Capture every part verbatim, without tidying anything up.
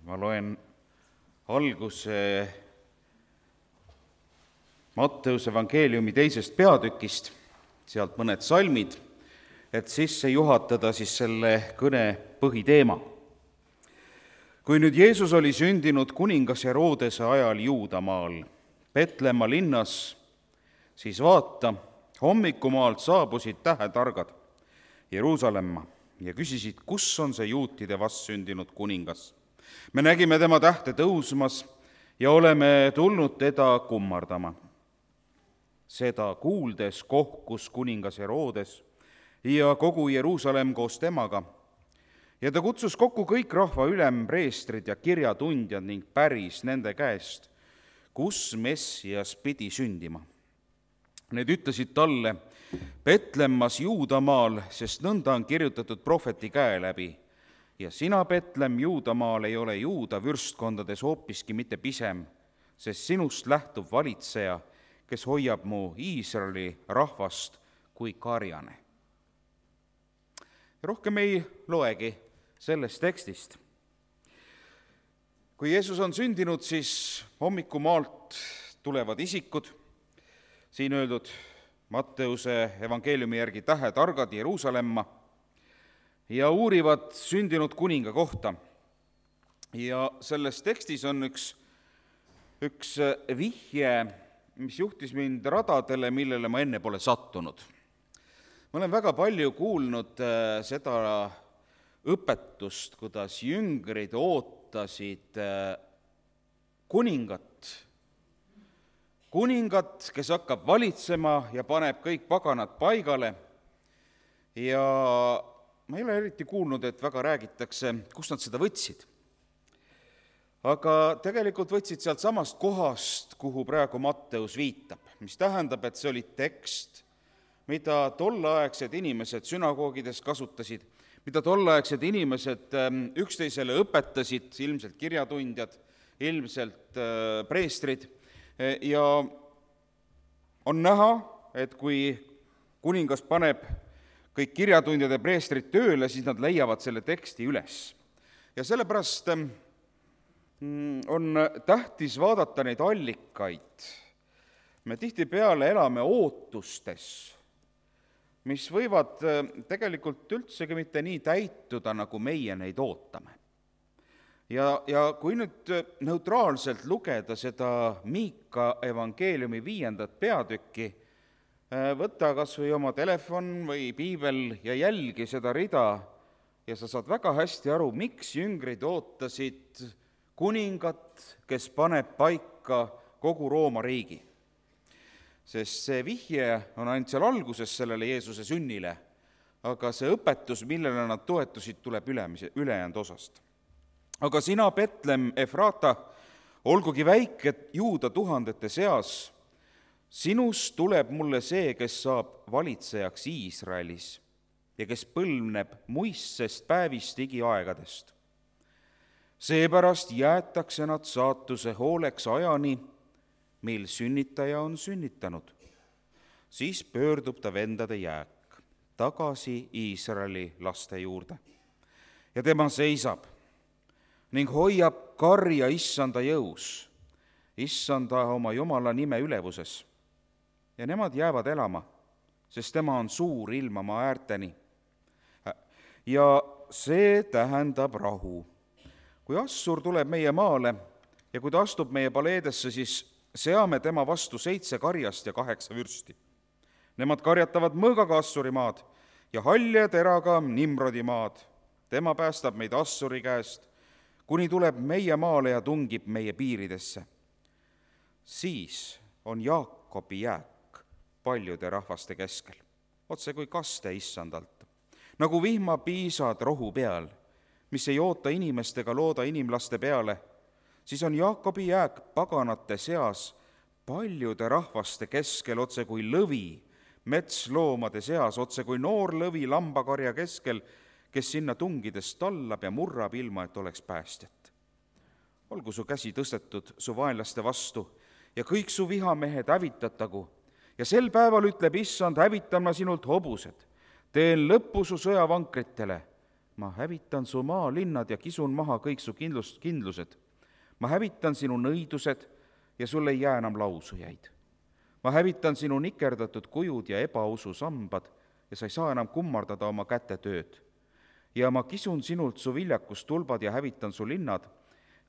Ma loen alguse Matteuse evangeeliumi teisest peatükist, sealt mõned salmid, et sisse juhatada siis selle kõne põhiteema. Kui nüüd Jeesus oli sündinud kuningas Herodese ajal Juudamaal, Petlemma linnas, siis vaata, hommikumaalt saabusid tähetargad Jeruusalemma ja küsisid, kus on see juutide vastsündinud kuningas. Me nägime tema tähte tõusmas ja oleme tulnud teda kummardama. Seda kuuldes kohkus kuningas Herodes ja kogu Jeruusalemm koos temaga. Ja ta kutsus kokku kõik rahva ülempreestrid ja kirjatundjad ning päris nende käest, kus Messias pidi sündima. Need ütlesid talle, Petlemmas Juudamaal, sest nõnda on kirjutatud prohveti käe läbi. Ja sina, Petlemm, Juudamaal ei ole Juuda vürstkondades hoopiski mitte pisem, sest sinust lähtub valitseja, kes hoiab mu Iisraeli rahvast kui karjane. Rohkem ei loegi sellest tekstist. Kui Jeesus on sündinud, siis hommikumaalt tulevad isikud, siin öeldud Matteuse evangeeliumi järgi tähetargad Jeruusalemma, ja uurivad sündinud kuninga kohta. Ja selles tekstis on üks, üks vihje, mis juhtis mind radadele, millele ma enne pole sattunud. Ma olen väga palju kuulnud seda õpetust, kuidas jüngrid ootasid kuningat, kuningat, kes hakkab valitsema ja paneb kõik paganad paigale. Ja ma ei ole eriti kuulnud, et väga räägitakse, kust nad seda võtsid. Aga tegelikult võtsid sealt samast kohast, kuhu praegu Matteus viitab, mis tähendab, et see oli tekst, mida tolleaegsed inimesed sünagoogides kasutasid, mida tolleaegsed inimesed üksteisele õpetasid, ilmselt kirjatundjad, ilmselt preestrid. Ja on näha, et kui kuningas paneb kõik kirjatundjad ja preestrid tööle, siis nad leiavad selle teksti üles. Ja sellepärast on tähtis vaadata neid allikaid. Me tihtipeale elame ootustes, mis võivad tegelikult üldsegi mitte nii täituda, nagu meie neid ootame. Ja, ja kui nüüd neutraalselt lugeda seda Miika evangeeliumi viiendat peatükki, võta kas või oma telefon või piibel ja jälgi seda rida ja sa saad väga hästi aru, miks jüngrid ootasid kuningat, kes paneb paika kogu Rooma riigi. Sest see vihje on ainult seal alguses sellele Jeesuse sünnile, aga see õpetus, millele nad toetusid, tuleb ülemise, ülejäänud osast. Aga sina, Petlemm Efrata, olgugi väike Juuda tuhandete seas, sinust tuleb mulle see, kes saab valitsejaks Iisraelis ja kes põlvneb muistsest päevist igiaegadest. Seepärast jäetakse nad saatuse hooleks ajani, mil sünnitaja on sünnitanud. Siis pöördub ta vendade jääk tagasi Iisraeli laste juurde. Ja tema seisab ning hoiab karja issanda jõus, issanda oma Jumala nime ülevuses. Ja nemad jäävad elama, sest tema on suur ilma maa äärteni. Ja see tähendab rahu. Kui Assur tuleb meie maale ja kui ta astub meie paleedesse, siis seame tema vastu seitse karjast ja kaheksa vürsti. Nemad karjatavad mõõgaga Assuri maad ja halja teraga Nimrodi maad. Tema päästab meid Assuri käest, kuni tuleb meie maale ja tungib meie piiridesse. Siis on Jaakobi jääk paljude rahvaste keskel, otse kui kaste issandalt, nagu vihmapiisad rohu peal, mis ei oota inimestega looda inimlaste peale, siis on Jaakobi jääk paganate seas paljude rahvaste keskel, otse kui lõvi metsloomade seas, otse kui noor lõvi lambakarja keskel, kes sinna tungides tallab ja murrab ilma, et oleks päästjat. Olgu su käsi tõstetud su vaenlaste vastu ja kõik su vihamehed hävitatagu. Ja sel päeval ütleb issand, hävitan ma sinult hobused, teen lõppu su sõjavankritele, ma hävitan su maalinnad ja kisun maha kõik su kindlust, kindlused. ma hävitan sinu nõidused ja sul ei jää enam lausujaid. ma hävitan sinu nikerdatud kujud ja ebausu sambad ja sa ei saa enam kummardada oma kätetööd. ja ma kisun sinult su viljakustulbad ja hävitan su linnad.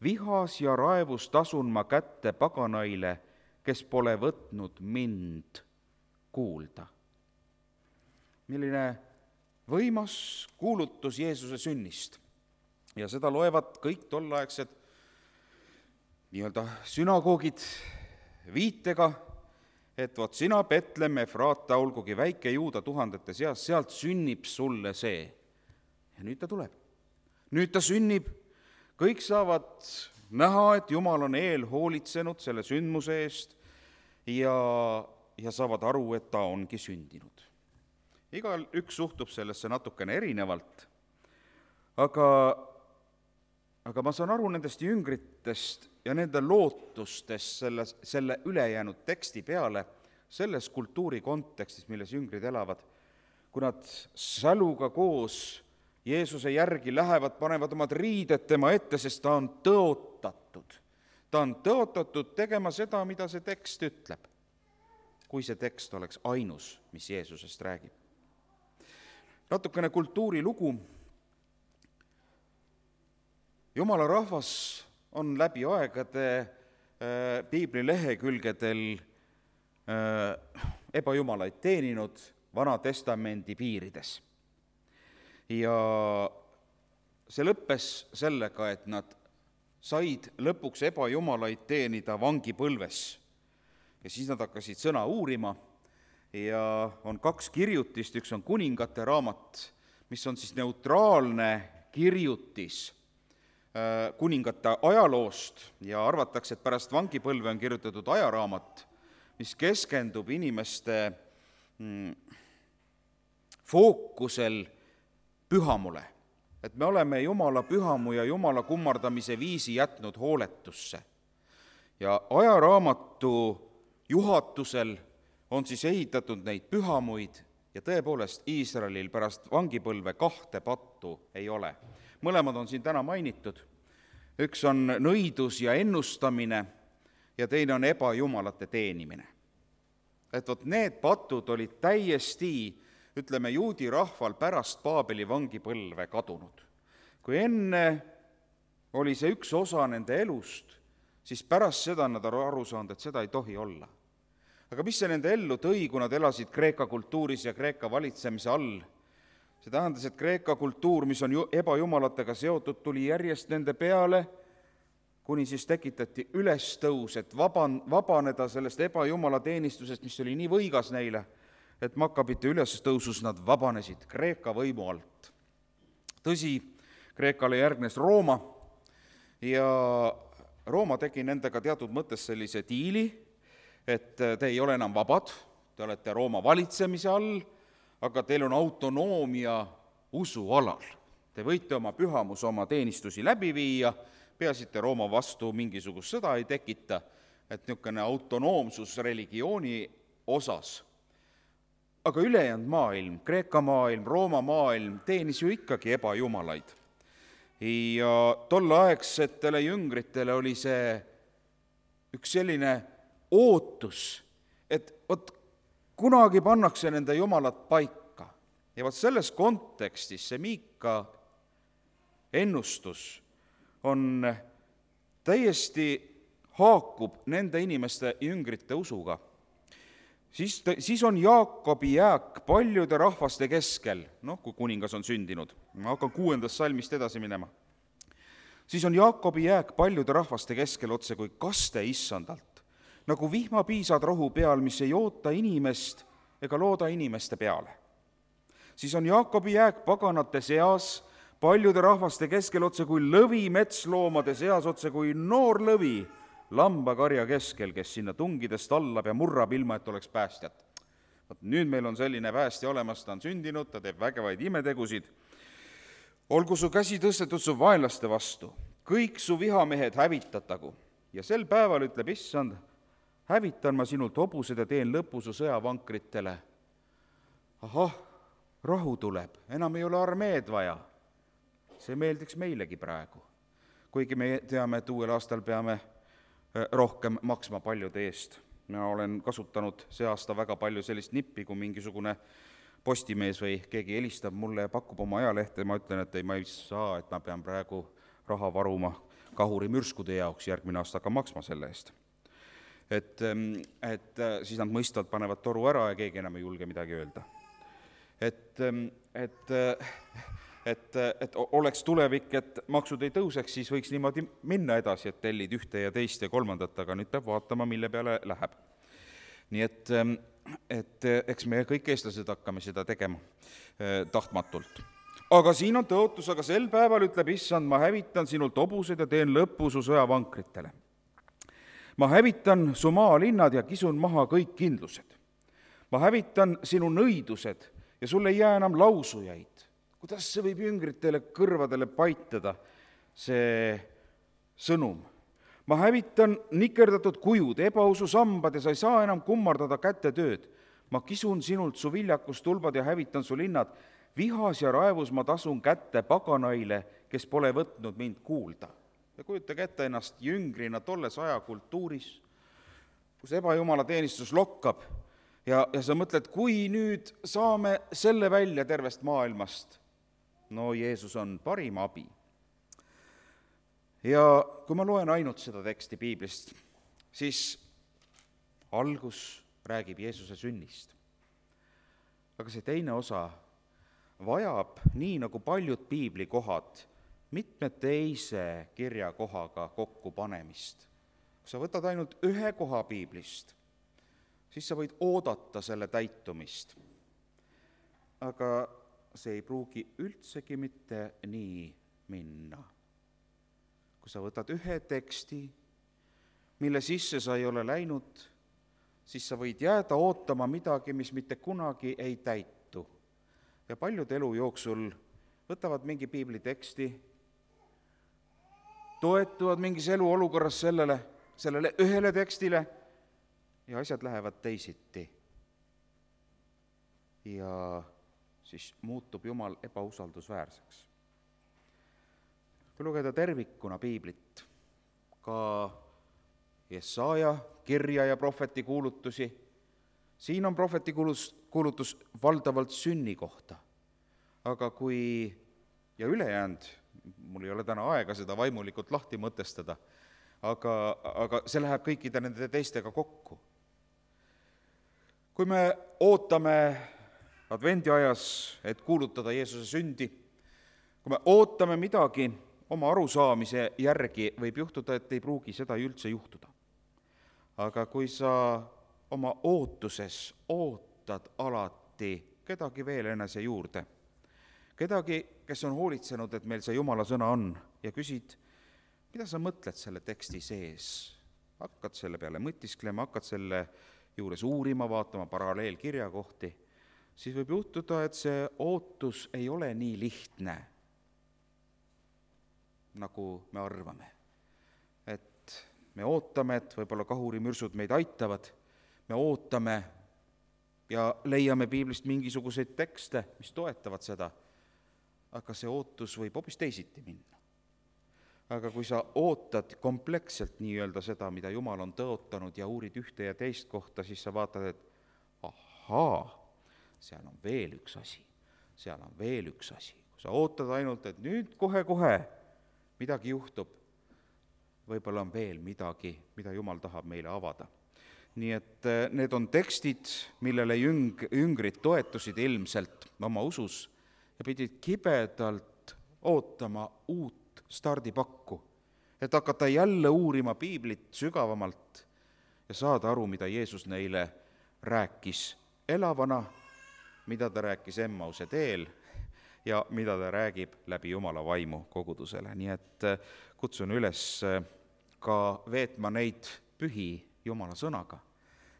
vihas ja raevus tasun ma kätte paganaile, kes pole võtnud mind kuulda. milline võimas kuulutus Jeesuse sünnist. Ja seda loevad kõik tolleaegsed nii-öelda sünagoogid viitega, et vot sina, Betlemm, Efraata, olgugi väike Juuda tuhandete seas, sealt sünnib sulle see. Ja nüüd ta tuleb. Nüüd ta sünnib, kõik saavad näha, et Jumal on eel hoolitsenud selle sündmuse eest ja, ja saavad aru, et ta ongi sündinud. Igal üks suhtub sellesse natukene erinevalt, aga, aga ma saan aru nendest jüngritest ja nende lootustest selle, selle ülejäänud teksti peale, selles kultuuri kontekstis, milles jüngrid elavad, kui nad säluga koos Jeesuse järgi lähevad, panevad omad riided tema ette, sest ta on tõotatud. Ta on tõotatud tegema seda, mida see tekst ütleb, kui see tekst oleks ainus, mis Jeesusest räägib. Natukene kultuurilugu. Jumala rahvas on läbi aegade äh, piibli lehekülgedel äh, ebajumalaid teeninud Vana Testamendi piirides. Ja see lõppes sellega, et nad said lõpuks ebajumalaid teenida vangipõlves. Ja siis nad hakkasid sõna uurima ja on kaks kirjutist, üks on Kuningate raamat, mis on siis neutraalne kirjutis kuningate ajaloost ja arvatakse, et pärast vangipõlve on kirjutatud ajaraamat, mis keskendub inimeste mm, fookusel pühamule. Et me oleme Jumala pühamu ja Jumala kummardamise viisi jätnud hooletusse. Ja ajaraamatu juhatusel on siis ehitatud neid pühamuid ja tõepoolest Iisraelil pärast vangipõlve kahte pattu ei ole. Mõlemad on siin täna mainitud. Üks on nõidus ja ennustamine ja teine on ebajumalate teenimine. Et vot need patud olid täiesti, ütleme, juudi rahval pärast Paabeli vangipõlve kadunud. Kui enne oli see üks osa nende elust, siis pärast seda nad on aru saanud, et seda ei tohi olla. Aga mis see nende ellu tõi, kui nad elasid Kreeka kultuuris ja Kreeka valitsemise all? See tähendas, et Kreeka kultuur, mis on ebajumalatega seotud, tuli järjest nende peale, kuni siis tekitati ülestõus, et vaban, vabaneda sellest ebajumala teenistusest, mis oli nii võigas neile, et Makkabite ülestõusus nad vabanesid Kreeka võimu alt. Tõsi, Kreekale järgnes Rooma ja Rooma tegi nendega teatud mõttes sellise diili, et te ei ole enam vabad, te olete Rooma valitsemise all, aga teil on autonoomia usualal. Te võite oma pühamus oma teenistusi läbi viia, peasite Rooma vastu mingisugust sõda ei tekita, et niisugune autonoomsus religiooni osas. Aga ülejäänud maailm, Kreeka maailm, Rooma maailm teenis ju ikkagi ebajumalaid. Ja tolleaegsetele jüngritele oli see üks selline ootus, et vot kunagi pannakse nende jumalad paika. Ja vot selles kontekstis see Miika ennustus on täiesti haakub nende inimeste jüngrite usuga. Siis, siis on Jaakobi jääk paljude rahvaste keskel, noh, kui kuningas on sündinud. Ma hakkan kuuendast salmist edasi minema. Siis on Jaakobi jääk paljude rahvaste keskel otse kui kaste issandalt, nagu vihmapiisad rohu peal, mis ei oota inimest ega looda inimeste peale. Siis on Jaakobi jääk paganate seas, paljude rahvaste keskel otse kui lõvi metsloomade seas, otse kui noor lõvi lambakarja keskel, kes sinna tungidest allab ja murrab ilma, et oleks päästjat. Nüüd meil on selline päästja olemas, ta on sündinud, ta teeb vägevaid imetegusid. Olgu su käsi tõstetud su vaenlaste vastu, kõik su vihamehed hävitatagu. Ja sel päeval ütleb issand, hävitan ma sinult hobused ja teen lõpu su sõjavankritele. Ahah, rahu tuleb, enam ei ole armeed vaja. see meeldiks meilegi praegu. Kuigi me teame, et uuel aastal peame rohkem maksma paljude eest. Ma olen kasutanud see aasta väga palju sellist nippi, kui mingisugune postimees või keegi helistab mulle ja pakub oma ajalehte, ma ütlen, et ei, ma ei saa, et ma pean praegu raha varuma kahuri mürskude jaoks, järgmine aasta hakka maksma selle eest. Et, et siis nad mõistvad, panevad toru ära ja keegi enam ei julge midagi öelda. Et, et, et, et oleks tulevik, et maksud ei tõuseks, siis võiks niimoodi minna edasi, et tellid ühte ja teist ja kolmandat, aga nüüd peab vaatama, mille peale läheb. Nii et, et eks me kõik eestlased hakkame seda tegema tahtmatult. Aga siin on tõotus, aga sel päeval ütleb issand, ma hävitan sinult hobused ja teen lõpu su sõjavankritele. Ma hävitan su maalinnad ja kisun maha kõik kindlused. Ma hävitan sinu nõidused ja sul ei jää enam lausujaid. Kuidas see võib jüngritele kõrvadele paitada, see sõnum? Ma hävitan nikerdatud kujud, ebausu sambad ja sa ei saa enam kummardada kätetööd. Ma kisun sinult su viljakustulbad ja hävitan su linnad. Vihas ja raevus ma tasun kätte paganaile, kes pole võtnud mind kuulda. Ja kujutage ette ennast jüngrina tolles ajakultuuris, kus ebajumala teenistus lokkab ja, ja sa mõtled, kui nüüd saame selle välja tervest maailmast. No Jeesus on parim abi. Ja kui ma loen ainult seda teksti piiblist, siis algus räägib Jeesuse sünnist. Aga see teine osa vajab, nii nagu paljud piiblikohad, mitme teise kirjakohaga kokku panemist. Kui sa võtad ainult ühe koha piiblist, siis sa võid oodata selle täitumist. Aga see ei pruugi üldsegi mitte nii minna. Kui sa võtad ühe teksti, mille sisse sa ei ole läinud, siis sa võid jääda ootama midagi, mis mitte kunagi ei täitu. Ja paljud elu jooksul võtavad mingi piibli teksti, toetuvad mingis eluolukorras sellele, sellele ühele tekstile ja asjad lähevad teisiti. Ja siis muutub Jumal ebausaldusväärseks. Kui lugeda tervikuna piiblit, ka Jesaja kirja ja prohveti kuulutusi, siin on prohveti kuulutus valdavalt sünni kohta. Aga kui, ja ülejäänud, mul ei ole täna aega seda vaimulikult lahti mõtestada, aga, aga see läheb kõikide nende teistega kokku. Kui me ootame advendiajas, et kuulutada Jeesuse sündi, kui me ootame midagi oma arusaamise järgi, võib juhtuda, et ei pruugi seda üldse juhtuda. Aga kui sa oma ootuses ootad alati kedagi veel enese juurde, kedagi, kes on hoolitsenud, et meil see Jumala sõna on, ja küsid, mida sa mõtled selle teksti sees? Hakkad selle peale mõtisklema, hakkad selle juures uurima, vaatama paralleelkirja kohti, siis võib juhtuda, et see ootus ei ole nii lihtne, nagu me arvame. Et me ootame, et võib-olla kahurimürsud meid aitavad, me ootame ja leiame piiblist mingisuguseid tekste, mis toetavad seda, aga see ootus võib hoopis teisiti minna. Aga kui sa ootad kompleksselt nii-öelda seda, mida Jumal on tõotanud ja uurid ühte ja teist kohta, siis sa vaatad, et ahaa, seal on veel üks asi, seal on veel üks asi. Kui sa ootad ainult, et nüüd kohe-kohe midagi juhtub, võib-olla on veel midagi, mida Jumal tahab meile avada. Nii et need on tekstid, millele jüng, jüngrid toetusid ilmselt oma usus ja pidid kibedalt ootama uut stardipakku, et hakata jälle uurima piiblit sügavamalt ja saada aru, mida Jeesus neile rääkis elavana, mida ta rääkis Emmause teel ja mida ta räägib läbi Jumala vaimu kogudusele. Nii et kutsun üles ka veetma neid pühi Jumala sõnaga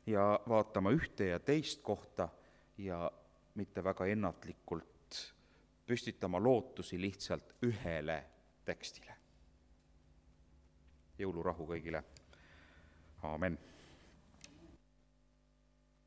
ja vaatama ühte ja teist kohta ja mitte väga ennatlikult püstitama lootusi lihtsalt ühele tekstile. Jõulurahu kõigile. Aamen.